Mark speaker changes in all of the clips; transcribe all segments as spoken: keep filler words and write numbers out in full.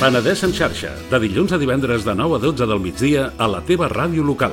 Speaker 1: Penedès en xarxa, de dilluns a divendres de nou a dotze del migdia a la teva ràdio local.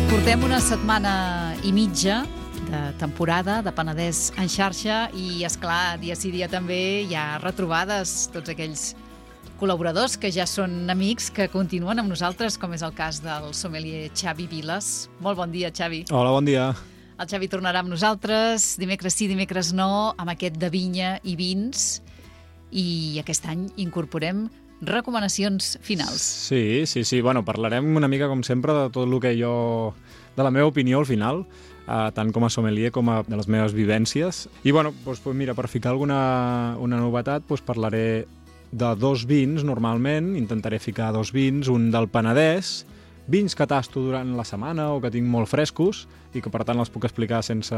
Speaker 2: Portem una setmana i mitja de temporada de Penedès en xarxa i, esclar, dia sí dia també hi ha retrobades, tots aquells col·laboradors que ja són amics, que continuen amb nosaltres, com és el cas del sommelier Xavi Viles. Molt bon dia, Xavi.
Speaker 3: Hola, bon dia.
Speaker 2: El Xavi tornarà amb nosaltres, dimecres sí, dimecres no, amb aquest de vinya i vins, i aquest any incorporem recomanacions finals.
Speaker 3: Sí, sí, sí. Bueno, parlarem una mica, com sempre, de tot el que jo... de la meva opinió al final, eh, tant com a sommelier com a de les meves vivències. I, bueno, doncs, mira, per ficar alguna una novetat, doncs parlaré de dos vins, normalment. Intentaré ficar dos vins, un del Penedès, vins que tasto durant la setmana o que tinc molt frescos i que, per tant, els puc explicar sense,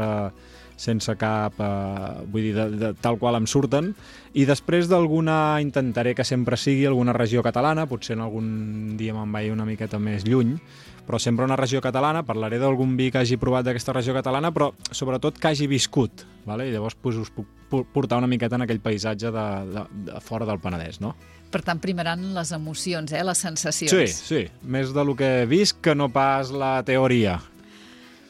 Speaker 3: sense cap... Eh, vull dir, de, de, tal qual em surten. I després d'alguna, intentaré que sempre sigui alguna regió catalana, potser en algun dia me'n vaig una miqueta més lluny, però sempre una regió catalana. Parlaré d'algun vi que hagi provat d'aquesta regió catalana, però sobretot que hagi viscut, vale? I llavors pues, us puc portar una miqueta en aquell paisatge de, de, de fora del Penedès, no?
Speaker 2: Per tant, primaran les emocions, eh? Les sensacions.
Speaker 3: Sí, sí. Més de lo que he vist que no pas la teoria.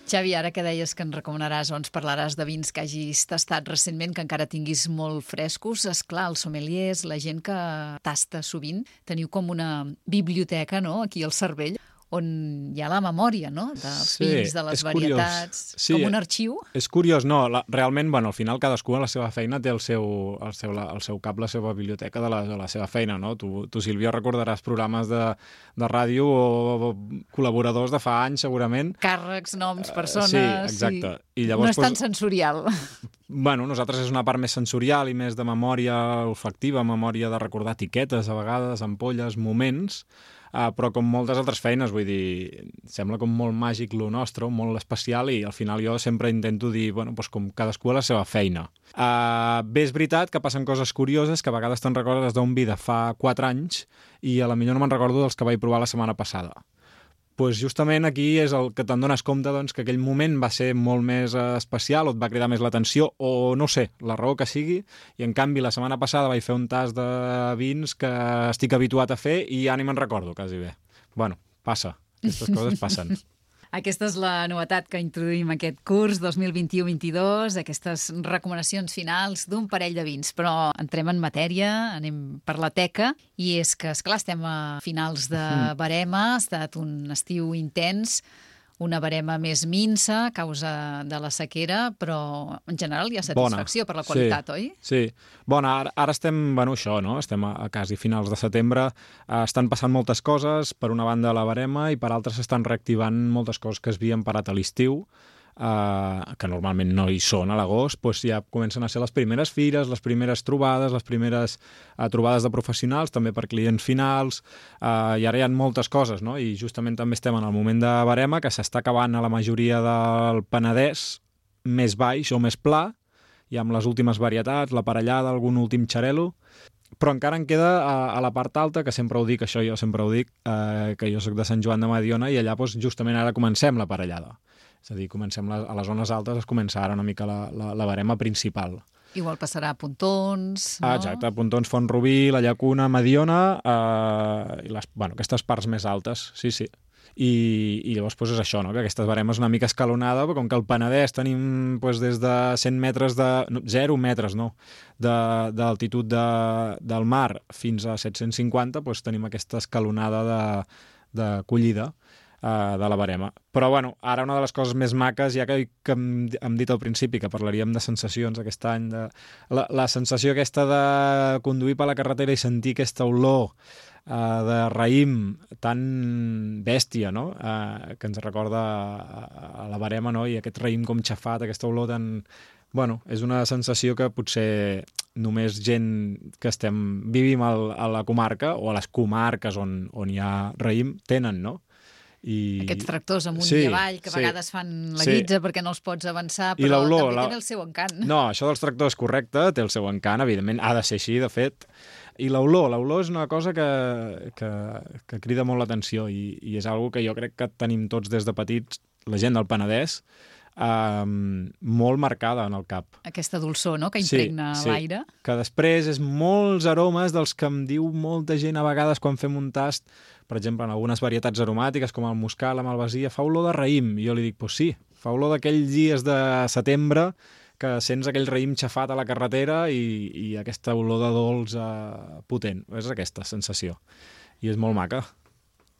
Speaker 2: Xavi, ara que deies que ens recomanaràs o ens parlaràs de vins que hagis tastat recentment, que encara tinguis molt frescos, esclar, els sommeliers, la gent que tasta sovint, teniu com una biblioteca, no?, aquí al cervell, on hi ha la memòria, no?, dels
Speaker 3: sí,
Speaker 2: vins, de les varietats,
Speaker 3: sí,
Speaker 2: com un arxiu.
Speaker 3: És curiós, no, la, realment, bueno, al final cadascú a la seva feina té el seu, el seu, la, el seu cap, la seva biblioteca de la, de la seva feina, no? Tu, tu Sílvia, recordaràs programes de, de ràdio o col·laboradors de fa anys, segurament.
Speaker 2: Càrrecs, noms, persones...
Speaker 3: Uh, sí, exacte.
Speaker 2: Sí. I llavors, no és tan pues, sensorial.
Speaker 3: Bueno, nosaltres és una part més sensorial i més de memòria olfactiva, memòria de recordar etiquetes, a vegades, ampolles, moments... Uh, però com moltes altres feines, vull dir, sembla com molt màgic lo nostre, molt especial, i al final jo sempre intento dir, bueno, doncs com cadascú a la seva feina. Uh, bé, és veritat que passen coses curioses, que a vegades te'n recordes d'un vi de fa quatre anys i a la millor no me'n recordo dels que vaig provar la setmana passada. Pues justament aquí és el que te'n dones compte, doncs, que aquell moment va ser molt més especial o et va cridar més l'atenció o no sé, la raó que sigui, i en canvi la setmana passada vaig fer un tast de vins que estic habituat a fer i ja ni me'n recordo quasi bé. Bueno, passa, aquestes coses passen.
Speaker 2: Aquesta és la novetat que introduïm aquest curs dos mil vint-i-u vint-i-dos, aquestes recomanacions finals d'un parell de vins. Però entrem en matèria, anem per la teca, i és que, esclar, estem a finals de barema, ha estat un estiu intens, una barema més minsa a causa de la sequera, però en general hi ha satisfacció Bona. Per la qualitat,
Speaker 3: sí,
Speaker 2: oi?
Speaker 3: Sí. Bueno, ara, ara estem, bueno, això, no? Estem a, a quasi finals de setembre, eh, estan passant moltes coses, per una banda la barema, i per altres s'estan reactivant moltes coses que es havien parat a l'estiu, Uh, que normalment no hi són a l'agost, doncs ja comencen a ser les primeres fires, les primeres trobades, les primeres uh, trobades de professionals, també per clients finals, uh, i ara hi ha moltes coses, no? I justament també estem en el moment de barema, que s'està acabant a la majoria del Penedès, més baix o més pla, i amb les últimes varietats, la parellada, algun últim xarel·lo, però encara en queda a, a la part alta, que sempre ho dic, això jo sempre ho dic, uh, que jo soc de Sant Joan de Mediona, i allà doncs, justament ara comencem la parellada. És a dir, comencem la, a les zones altes, es comença ara una mica la, la, la barema principal.
Speaker 2: Igual passarà a Pontons, no?
Speaker 3: Ah, exacte, Pontons, Font-rubí, la Llacuna, Mediona, eh, i les, bueno, aquestes parts més altes, sí, sí. I, i llavors doncs, és això, no? Que aquesta barema és una mica escalonada, però com que al Penedès tenim doncs, des de cent metres de... No, zero metres, no, d'altitud de, de, del mar fins a set-cents cinquanta, doncs tenim aquesta escalonada de, de collida Uh, de la barema. Però, bueno, ara una de les coses més maques, ja que, que hem, hem dit al principi que parlaríem de sensacions aquest any, de, la, la sensació aquesta de conduir per la carretera i sentir aquesta olor uh, de raïm tan bèstia, no? Uh, que ens recorda a, a la barema, no? I aquest raïm com xafat, aquesta olor tan... Bueno, és una sensació que potser només gent que estem vivim al, a la comarca o a les comarques on, on hi ha raïm tenen, no? I...
Speaker 2: Aquests tractors amunt
Speaker 3: sí,
Speaker 2: i avall que a
Speaker 3: sí,
Speaker 2: vegades fan la
Speaker 3: sí.
Speaker 2: guitza perquè no els pots avançar, però
Speaker 3: l'olor,
Speaker 2: també
Speaker 3: la...
Speaker 2: tenen el seu encant.
Speaker 3: No, això dels tractors, correcte, té el seu encant, evidentment, ha de ser així, de fet. I l'olor, l'olor és una cosa que, que, que crida molt l'atenció i, i és algo que jo crec que tenim tots des de petits, la gent del Penedès, Um, molt marcada en el cap.
Speaker 2: Aquesta dolçor, no?, que impregna
Speaker 3: sí, sí.
Speaker 2: l'aire.
Speaker 3: Que després és molts aromes dels que em diu molta gent a vegades quan fem un tast, per exemple, en algunes varietats aromàtiques, com el muscat, la malvasia, fa olor de raïm. I jo li dic, pues sí, fa olor d'aquells dies de setembre que sents aquell raïm xafat a la carretera i, i aquesta olor de dolç uh, potent. És aquesta sensació. I és molt maca.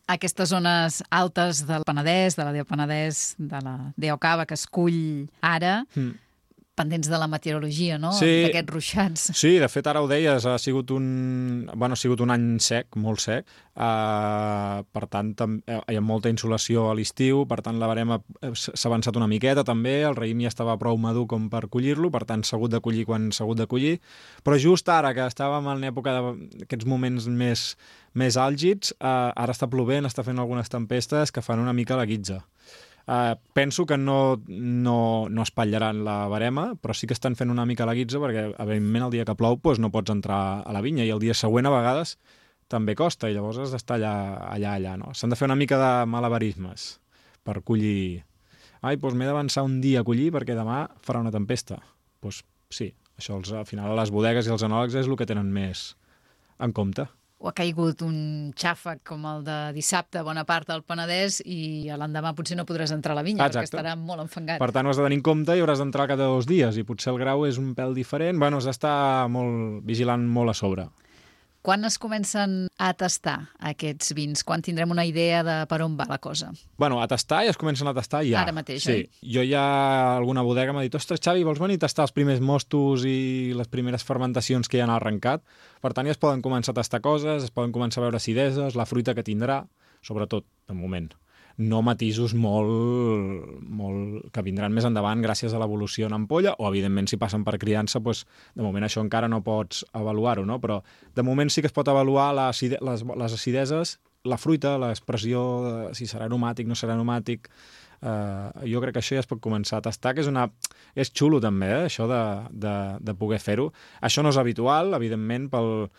Speaker 2: Aquestes zones altes del Penedès, de la D E O Penedès, de la D E O Cava, que es cull ara, mm. pendents de la meteorologia, no?,
Speaker 3: sí,
Speaker 2: d'aquests ruixats.
Speaker 3: Sí, de fet, ara ho deies, ha sigut un, bueno, ha sigut un any sec, molt sec, uh, per tant, hi ha molta insolació a l'estiu, per tant, la verema s'ha avançat una miqueta, també, el raïm ja estava prou madur com per collir-lo, per tant, s'ha hagut de collir quan s'ha hagut de collir, però just ara, que estàvem en època d'aquests moments més, més àlgids, uh, ara està plovent, està fent algunes tempestes que fan una mica la guitza. Uh, penso que no, no, no espatllaran la verema, però sí que estan fent una mica la guitza perquè, evidentment, el dia que plou doncs, no pots entrar a la vinya i el dia següent a vegades també costa i llavors has d'estar allà, allà, allà. No? S'han de fer una mica de malabarismes per collir. Ai, doncs m'he d'avançar un dia a collir perquè demà farà una tempesta. Doncs sí, això als, al final a les bodegues i els enòlegs és el que tenen més en compte.
Speaker 2: O ha caigut un xàfec com el de dissabte a bona part del Penedès i l'endemà potser no podràs entrar a la vinya. Exacte. Perquè estarà molt enfangat.
Speaker 3: Per tant, ho has de tenir en compte i hauràs d'entrar cada dos dies i potser el grau és un pèl diferent. Bueno, has d'estar molt vigilant molt a sobre.
Speaker 2: Quan es comencen a tastar aquests vins? Quan tindrem una idea de per on va la cosa?
Speaker 3: Bueno, a tastar ja es comencen a tastar ja.
Speaker 2: Ara mateix,
Speaker 3: sí.
Speaker 2: oi?
Speaker 3: Jo ja, alguna bodega m'ha dit, ostres, Xavi, vols venir a tastar els primers mostos i les primeres fermentacions que ja han arrencat? Per tant, ja es poden començar a tastar coses, es poden començar a veure acideses, la fruita que tindrà, sobretot, de moment. No matisos molt, molt que vindran més endavant gràcies a l'evolució en ampolla, o evidentment si passen per criança, doncs, de moment això encara no pots avaluar-ho, no? Però de moment sí que es pot avaluar l'acide, les, les acideses, la fruita, l'expressió, de si serà aromàtic, no serà aromàtic. Uh, jo crec que això ja es pot començar a tastar, que és, una, és xulo també, eh, això de, de, de poder fer-ho. Això no és habitual, evidentment, pel,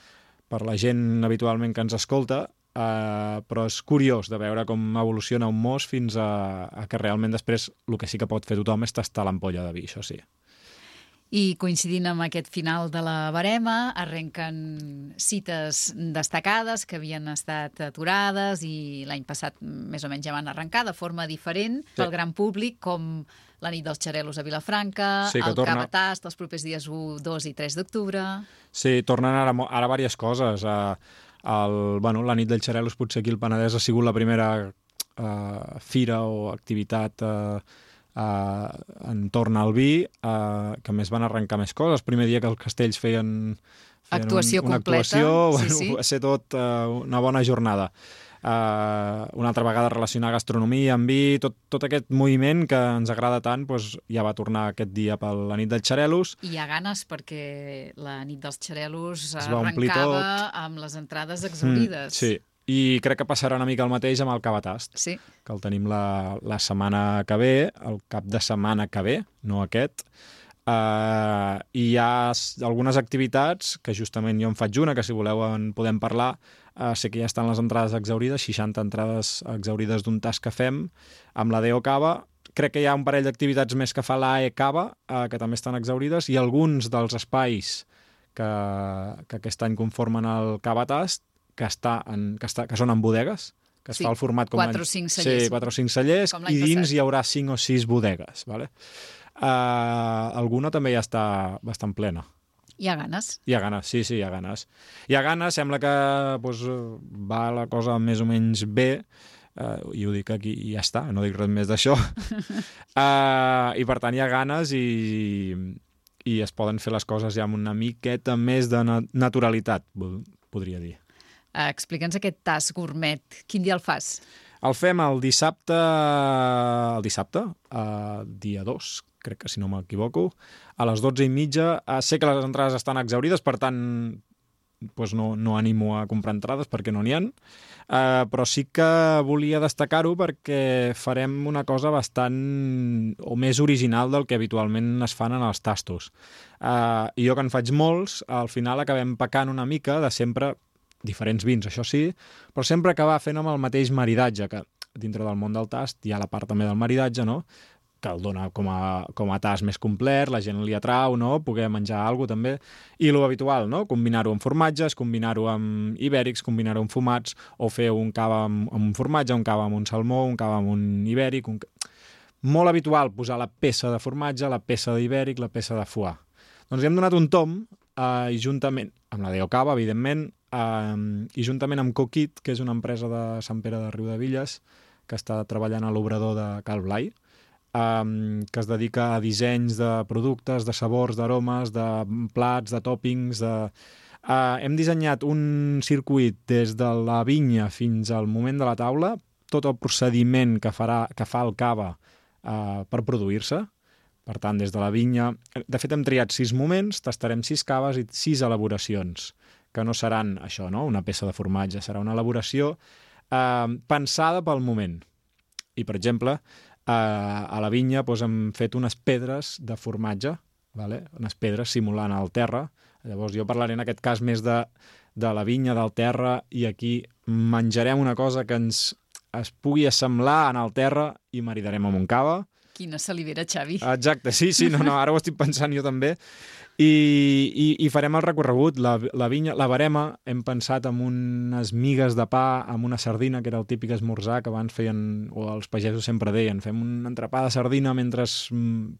Speaker 3: per la gent habitualment que ens escolta, Uh, però és curiós de veure com evoluciona un mos fins a, a que realment després el que sí que pot fer tothom és tastar l'ampolla de vi, això sí.
Speaker 2: I coincidint amb aquest final de la verema, arrenquen cites destacades que havien estat aturades i l'any passat més o menys ja van arrencar de forma diferent sí. pel gran públic, com la nit dels xarelos a Vilafranca, sí, el torna... Cava Tast els propers dies u, dos i tres d'octubre... Sí,
Speaker 3: tornen ara, ara diverses coses. Uh, el, bueno, la nit dels xarelos potser aquí al Penedès ha sigut la primera uh, fira o activitat uh, uh, entorn al vi, uh, que més van arrencar més coses. El primer dia que els castells feien, feien
Speaker 2: actuació
Speaker 3: un, una
Speaker 2: completa.
Speaker 3: actuació,
Speaker 2: sí,
Speaker 3: bueno,
Speaker 2: sí.
Speaker 3: va ser tot uh, una bona jornada. Uh, una altra vegada relacionar gastronomia amb vi, tot, tot aquest moviment que ens agrada tant, doncs, ja va tornar aquest dia per la nit dels xarelos.
Speaker 2: I hi ha ganes perquè la nit dels xarelos arrencava amb les entrades exaurides.
Speaker 3: Mm, sí, i crec que passarà una mica el mateix amb el Cava Tast,
Speaker 2: sí.
Speaker 3: que el tenim la, la setmana que ve, el cap de setmana que ve, no aquest. Uh, i hi ha algunes activitats que justament jo en faig una, que si voleu en podem parlar. Uh, sé que ja estan les entrades exaurides, seixanta entrades exaurides d'un tast que fem amb la D E O Cava. Crec que hi ha un parell d'activitats més que fa l'A E Cava, uh, que també estan exaurides, i alguns dels espais que, que aquest any conformen el Cava Tast, que, està en, que, està, que són en bodegues, que es
Speaker 2: sí,
Speaker 3: fa el format com
Speaker 2: quatre o cinc cellers.
Speaker 3: Sí, quatre o cinc cellers, i dins
Speaker 2: passat.
Speaker 3: Hi haurà cinc o sis bodegues, vale? Uh, alguna també ja està bastant plena.
Speaker 2: Hi ha ganes?
Speaker 3: Hi ha ganes, sí, sí, hi ha ganes. Hi ha ganes, sembla que doncs, va la cosa més o menys bé, uh, i ho dic aquí i ja està, no dic res més d'això. uh, I per tant hi ha ganes i, i es poden fer les coses ja amb una miqueta més de na naturalitat, podria dir.
Speaker 2: Uh, Explica'ns aquest tast gourmet. Quin dia el fas?
Speaker 3: El fem el dissabte, el dissabte, uh, dia dos, crec que si no m'equivoco, a les dotze i mitja. Uh, sé que les entrades estan exaurides, per tant doncs no, no animo a comprar entrades perquè no n'hi ha, uh, però sí que volia destacar-ho perquè farem una cosa bastant o més original del que habitualment es fan en els tastos. Uh, I jo que en faig molts, al final acabem pecant una mica de sempre diferents vins, això sí, però sempre acabar fent amb el mateix maridatge, que dintre del món del tast hi ha la part també del maridatge, no? que el dona com a, com a tast més complet, la gent li atrau, no? Poder menjar alguna cosa també. I lo habitual, no? Combinar-ho amb formatges, combinar-ho amb ibèrics, combinar-ho amb fumats, o fer un cava amb, amb un formatge, un cava amb un salmó, un cava amb un ibèric... Un... Molt habitual posar la peça de formatge, la peça d'ibèric, la peça de foie. Doncs li hem donat un tom, eh, i juntament, amb la Deo Cava, evidentment, eh, i juntament amb Coquit, que és una empresa de Sant Pere de Riudevilles, que està treballant a l'obrador de Cal Blai, Um, que es dedica a dissenys de productes, de sabors, d'aromes, de plats, de tòpings... De... Uh, hem dissenyat un circuit des de la vinya fins al moment de la taula, tot el procediment que, farà, que fa el cava uh, per produir-se. Per tant, des de la vinya... De fet, hem triat sis moments, tastarem sis caves i sis elaboracions, que no seran això, no? Una peça de formatge, serà una elaboració uh, pensada pel moment. I, per exemple, Uh, a la vinya doncs, hem fet unes pedres de formatge, vale? Unes pedres simulant el terra. Llavors jo parlaré en aquest cas més de, de la vinya, del terra, i aquí menjarem una cosa que ens es pugui assemblar en el terra i maridarem amb un cava.
Speaker 2: Quina salivera, Xavi.
Speaker 3: Exacte, sí, sí, no, no, ara ho estic pensant jo també. I, i, i farem el recorregut. La, la vinya, la barema, hem pensat en unes migues de pa, amb una sardina, que era el típic esmorzar que abans feien, o els pagesos sempre deien, fem un entrepà de sardina mentre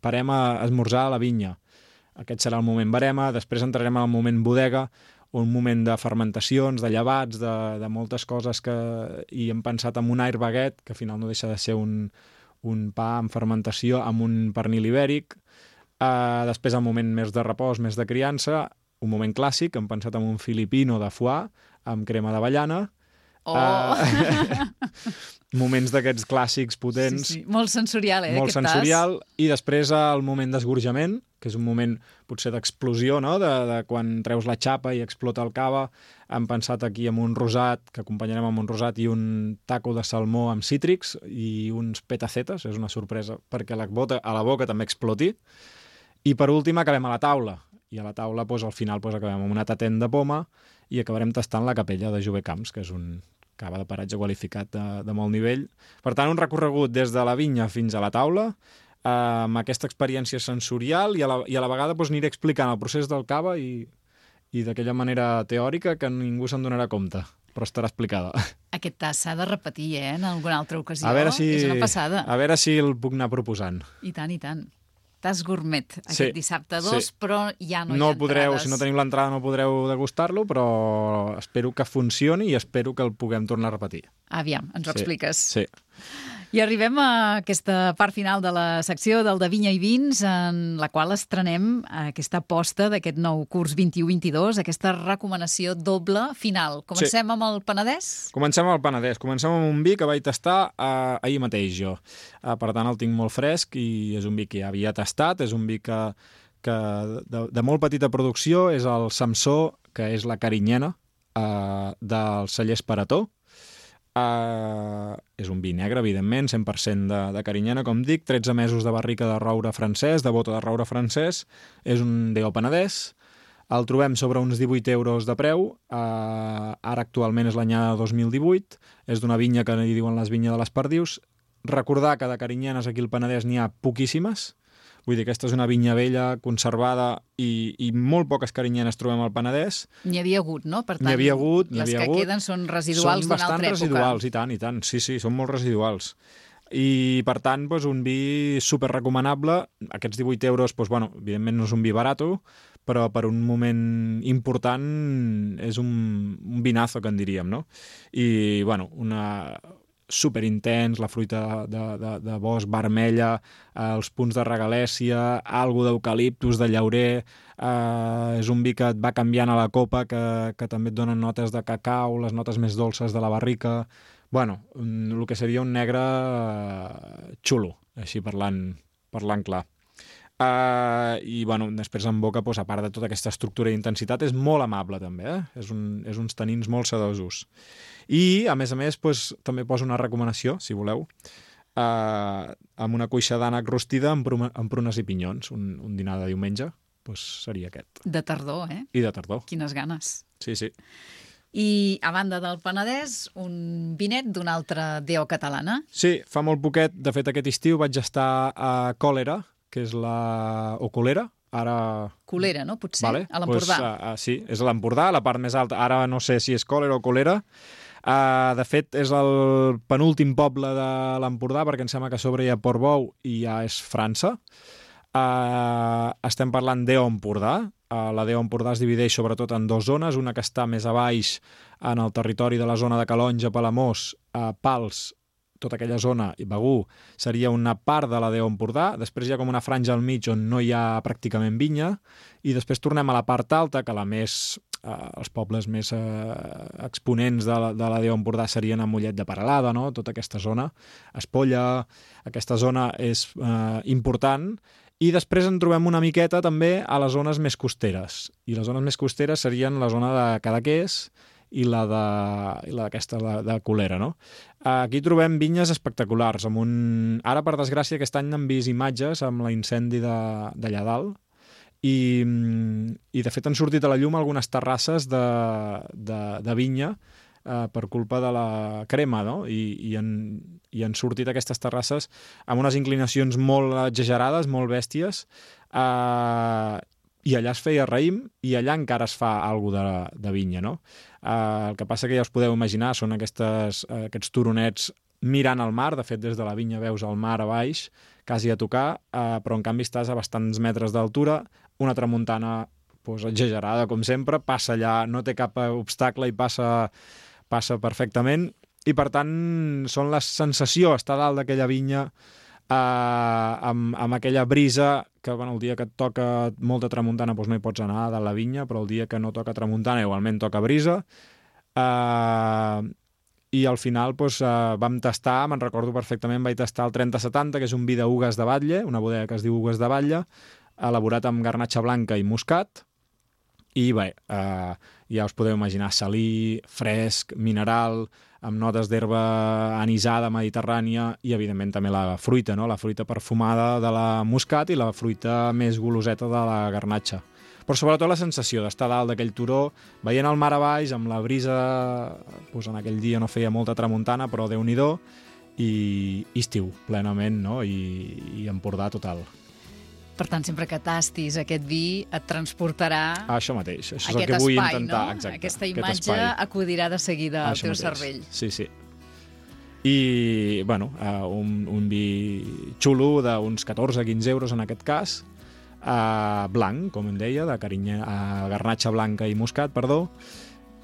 Speaker 3: parem a esmorzar a la vinya. Aquest serà el moment barema, després entrarem al moment bodega, un moment de fermentacions, de llevats, de, de moltes coses que... I hem pensat en un air baguette, que al final no deixa de ser un, un pa en fermentació amb un pernil ibèric. Uh, després el moment més de repòs, més de criança, un moment clàssic, hem pensat en un filipino de foie amb crema d'avellana.
Speaker 2: Oh!
Speaker 3: Uh, moments d'aquests clàssics potents.
Speaker 2: Sí, sí. Molt sensorial, eh,
Speaker 3: molt
Speaker 2: aquest
Speaker 3: sensorial. Tas. I després el moment d'esgorjament, que és un moment potser d'explosió, no? de, de quan treus la xapa i explota el cava. Hem pensat aquí amb un rosat, que acompanyarem amb un rosat i un taco de salmó amb cítrics i uns petacetes, és una sorpresa, perquè la bota, a la boca també exploti. I per últim acabem a la taula. I a la taula, doncs, al final, doncs, acabem amb una tatent de poma i acabarem tastant la capella de Jové Camps, que és un cava de paratge qualificat de, de molt nivell. Per tant, un recorregut des de la vinya fins a la taula, eh, amb aquesta experiència sensorial i a la, i a la vegada doncs, aniré explicant el procés del cava i, i d'aquella manera teòrica que ningú se'n donarà compte, però estarà explicada.
Speaker 2: Aquest tas s'ha de repetir, eh, en alguna altra ocasió.
Speaker 3: A veure si,
Speaker 2: és una passada.
Speaker 3: A veure si el puc anar proposant.
Speaker 2: I tant, i tant. Tas gourmet, aquest
Speaker 3: sí,
Speaker 2: dissabte dos, sí. Però ja no,
Speaker 3: no
Speaker 2: hi ha
Speaker 3: podreu,
Speaker 2: entrades.
Speaker 3: Si no teniu l'entrada no podreu degustar-lo, però espero que funcioni i espero que el puguem tornar a repetir.
Speaker 2: Aviam, ens ho
Speaker 3: sí,
Speaker 2: expliques.
Speaker 3: Sí.
Speaker 2: I arribem a aquesta part final de la secció del de Vinya i Vins, en la qual estrenem aquesta aposta d'aquest nou curs vint-i-u vint-i-dos, aquesta recomanació doble final. Comencem sí. amb el Penedès?
Speaker 3: Comencem amb el Penedès. Comencem amb un vi que vaig tastar eh, ahir mateix jo. Eh, per tant, el tinc molt fresc i és un vi que ja havia tastat, és un vi que, que de, de molt petita producció, és el Samsó, que és la carinyena eh, del celler Esparató. Uh, és un vi negre, evidentment, cent per cent de, de carinyena, com dic, tretze mesos de barrica de roure francès, de bota de roure francès, és un Deo Penedès, el trobem sobre uns divuit euros de preu, uh, ara actualment és l'anyada dos mil divuit, és d'una vinya que hi diuen les vinyes de les Perdius. Recordar que de carinyenes aquí al Penedès n'hi ha poquíssimes, vull dir, aquesta és una vinya vella, conservada, i, i molt poques carinyenes trobem al Penedès.
Speaker 2: N'hi havia hagut, no? Per tant,
Speaker 3: n'hi havia hagut, n'hi
Speaker 2: les
Speaker 3: havia
Speaker 2: que
Speaker 3: hagut.
Speaker 2: queden són residuals d'una altra època.
Speaker 3: Són bastant residuals, i tant, i tant. Sí, sí, són molt residuals. I, per tant, doncs, un vi super recomanable. Aquests divuit euros, doncs, bueno, evidentment no és un vi barato, però per un moment important és un, un vinazo, que en diríem, no? I, bueno, una... superintens, la fruita de, de, de bosc vermella, eh, els punts de regalèsia, algo d'eucaliptus, de llaurer, eh, és un vi que et va canviant a la copa, que, que també et donen notes de cacau, les notes més dolces de la barrica. Bueno, el que seria un negre xulo, així parlant, parlant clar. Uh, i bueno, després en boca, doncs, a part de tota aquesta estructura i intensitat, és molt amable també, eh? és, un, és uns tanins molt sedosos. I a més a més doncs, també poso una recomanació, si voleu, uh, amb una cuixa d'ànec rostida amb, pruna, amb prunes i pinyons, un, un dinar de diumenge, doncs seria aquest.
Speaker 2: De tardor, eh?
Speaker 3: I de tardor.
Speaker 2: Quines ganes.
Speaker 3: Sí, sí.
Speaker 2: I, a banda del Penedès, un vinet d'una altra D O catalana.
Speaker 3: Sí, fa molt poquet, de fet aquest estiu vaig estar a Còlera, que és la... o Colera, ara...
Speaker 2: Colera, no? Potser,
Speaker 3: vale.
Speaker 2: a l'Empordà.
Speaker 3: Pues, uh, uh, sí, és a l'Empordà, la part més alta. Ara no sé si és Còlera o Colera. Uh, de fet, és el penúltim poble de l'Empordà, perquè em sembla que a sobre hi ha Portbou i ja és França. Uh, estem parlant d'E O Empordà. Uh, la D O Empordà es divideix sobretot en dues zones, una que està més a baix en el territori de la zona de Calonge, Palamós, uh, Pals, tota aquella zona, i Begur, seria una part de la D O Empordà. Després hi ha com una franja al mig on no hi ha pràcticament vinya, i després tornem a la part alta, que la més, eh, els pobles més eh, exponents de la, de la D O Empordà serien a Mollet de Peralada, no? Tota aquesta zona, Espolla, aquesta zona és eh, important. I després en trobem una miqueta també a les zones més costeres. I les zones més costeres serien la zona de Cadaqués i la d'aquesta de, de, de Colera, no? Aquí trobem vinyes espectaculars. Amb un... Ara, per desgràcia, aquest any n'hem vist imatges amb l'incendi d'allà dalt, i, i de fet han sortit a la llum algunes terrasses de, de, de vinya eh, per culpa de la crema, no? I, i, han, i han sortit aquestes terrasses amb unes inclinacions molt exagerades, molt bèsties, eh, i allà es feia raïm i allà encara es fa alguna de, de vinya, no? Uh, el que passa que ja us podeu imaginar, són aquestes, uh, aquests turonets mirant al mar. De fet, des de la vinya veus el mar a baix, quasi a tocar, uh, però en canvi estàs a bastants metres d'altura, una tramuntana pues, exagerada, com sempre, passa allà, no té cap obstacle i passa, passa perfectament, i per tant són la sensació, estar dalt d'aquella vinya, Uh, amb, amb aquella brisa que bueno, el dia que et toca molta tramuntana doncs no hi pots anar de la vinya, però el dia que no toca tramuntana igualment toca brisa, uh, i al final doncs, uh, vam tastar, me'n recordo perfectament, vaig tastar el trenta setanta, que és un vi d'Ugues de Batlle, una bodega que es diu Ugues de Batlle, elaborat amb garnatxa blanca i moscat, i bé, uh, ja us podeu imaginar, salí, fresc, mineral, amb notes d'herba anisada mediterrània, i evidentment també la fruita, no? La fruita perfumada de la moscat i la fruita més goloseta de la garnatxa. Però sobretot la sensació d'estar dalt d'aquell turó, veient el mar a baix, amb la brisa, doncs en aquell dia no feia molta tramuntana, però Déu-n'hi-do, i, i estiu plenament, no? I, i Empordà total.
Speaker 2: Per tant, sempre que tastis aquest vi et transportarà
Speaker 3: ah, això mateix, això és
Speaker 2: aquest
Speaker 3: el que vull
Speaker 2: espai,
Speaker 3: intentar.
Speaker 2: No?
Speaker 3: Exacte,
Speaker 2: aquesta
Speaker 3: aquest
Speaker 2: imatge
Speaker 3: espai.
Speaker 2: acudirà de seguida al
Speaker 3: això
Speaker 2: teu
Speaker 3: mateix.
Speaker 2: cervell.
Speaker 3: Sí, sí. I, bueno, uh, un, un vi xulo d'uns catorze a quinze euros en aquest cas, uh, blanc, com em deia, de carinya, uh, garnatxa blanca i moscat, perdó,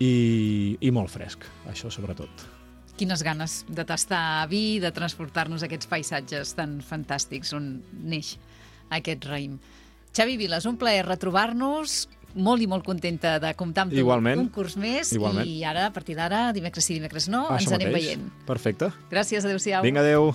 Speaker 3: i, i molt fresc, això sobretot.
Speaker 2: Quines ganes de tastar vi, de transportar-nos a aquests paisatges tan fantàstics on neix aquest raïm. Xavi Viles, un plaer retrobar-nos, molt i molt contenta de comptar amb tu
Speaker 3: Igualment.
Speaker 2: un curs més.
Speaker 3: Igualment.
Speaker 2: I ara, a partir d'ara, dimecres sí, dimecres no,
Speaker 3: Això
Speaker 2: ens anem
Speaker 3: mateix.
Speaker 2: veient.
Speaker 3: Perfecte.
Speaker 2: Gràcies, adéu-siau.
Speaker 3: Vinga, adéu.